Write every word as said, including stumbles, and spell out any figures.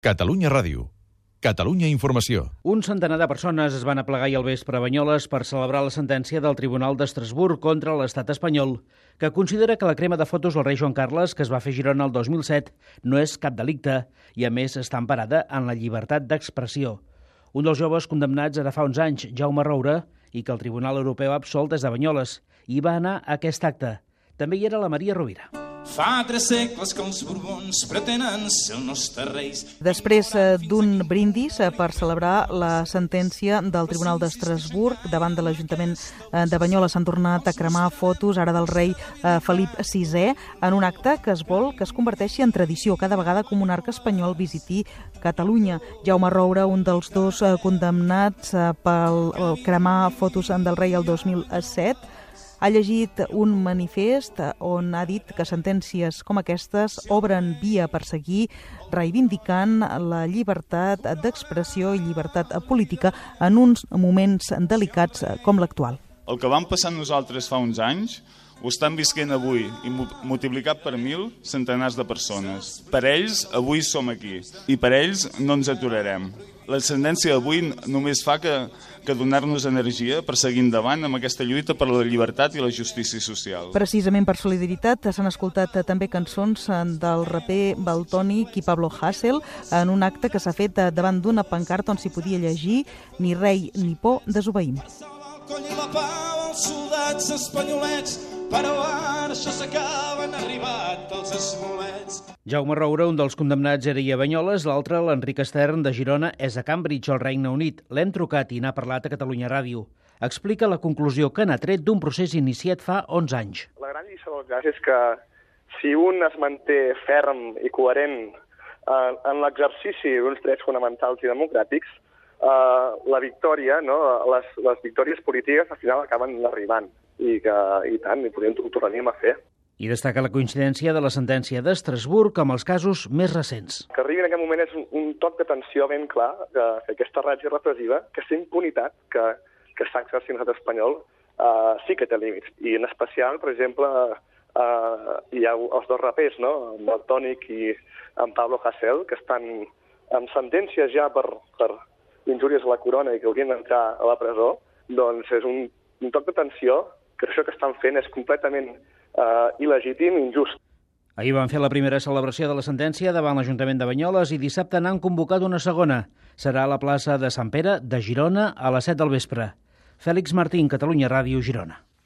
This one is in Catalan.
Catalunya Ràdio. Catalunya Informació. Un centenar de persones es van aplegar ahir al vespre a Banyoles per celebrar la sentència del Tribunal d'Estrasburg contra l'estat espanyol, que considera que la crema de fotos al rei Joan Carles, que es va fer a Girona el dos mil set, no és cap delicte i, a més, està emparada en la llibertat d'expressió. Un dels joves condemnats ara fa uns anys, Jaume Roura, i que el Tribunal Europeu ha absolt des de Banyoles, i va anar a aquest acte. També hi era la Maria Rovira. Fa tres segles que els Borbons pretenen ser els nostres reis. Després d'un brindis per celebrar la sentència del Tribunal d'Estrasburg davant de l'Ajuntament de Banyoles s'han tornat a cremar fotos ara del rei Felip sisè en un acte que es vol que es converteixi en tradició cada vegada que un monarca espanyol visiti Catalunya. Jaume Roura, un dels dos condemnats pel cremar fotos del rei el dos mil set, ha llegit un manifest on ha dit que sentències com aquestes obren via per seguir reivindicant la llibertat d'expressió i llibertat política en uns moments delicats com l'actual. El que vam passar nosaltres fa uns anys ho estan visquent avui i multiplicat per mil centenars de persones. Per ells, avui som aquí i per ells no ens aturarem. La sentència d'avui només fa que, que donar-nos energia per seguir endavant amb aquesta lluita per la llibertat i la justícia social. Precisament per solidaritat s'han escoltat també cançons del raper Valtònic i Pablo Hasél en un acte que s'ha fet davant d'una pancarta on s'hi podia llegir «Ni rei ni por, desobeïm». Coll i la pau als soldats espanyolets, però ara això s'acaba, han arribat els esmolets. Jaume Roura, un dels condemnats, era a Banyoles, l'altre, l'Enric Estern, de Girona, és a Cambridge, al Regne Unit. L'hem trucat i n'ha parlat a Catalunya Ràdio. Explica la conclusió que n'ha tret d'un procés iniciat fa onze anys. La gran lliçó del cas és que si un es manté ferm i coherent eh, en l'exercici d'uns drets fonamentals i democràtics, Uh, la victòria, no? les, les victòries polítiques al final acaben arribant i, que, i tant, i podem, ho tornaríem a fer. I destaca la coincidència de la sentència d'Estrasburg amb els casos més recents. Que arribi en aquest moment és un, un toc d'atenció ben clar que, que aquesta ràtio repressiva, que aquesta impunitat que, que està exercint l'estat espanyol uh, sí que té límits. I en especial, per exemple, uh, hi ha els dos rapers, no? En Valtònic i en Pablo Hasél, que estan amb sentències ja per... per injúries a la corona i que haurien d'entrar a la presó, doncs és un, un toc d'atenció que això que estan fent és completament eh, il·legítim i injust. Ahir van fer la primera celebració de la sentència davant l'Ajuntament de Banyoles i dissabte n'han convocat una segona. Serà a la plaça de Sant Pere de Girona a les set del vespre. Fèlix Martín, Catalunya Ràdio, Girona.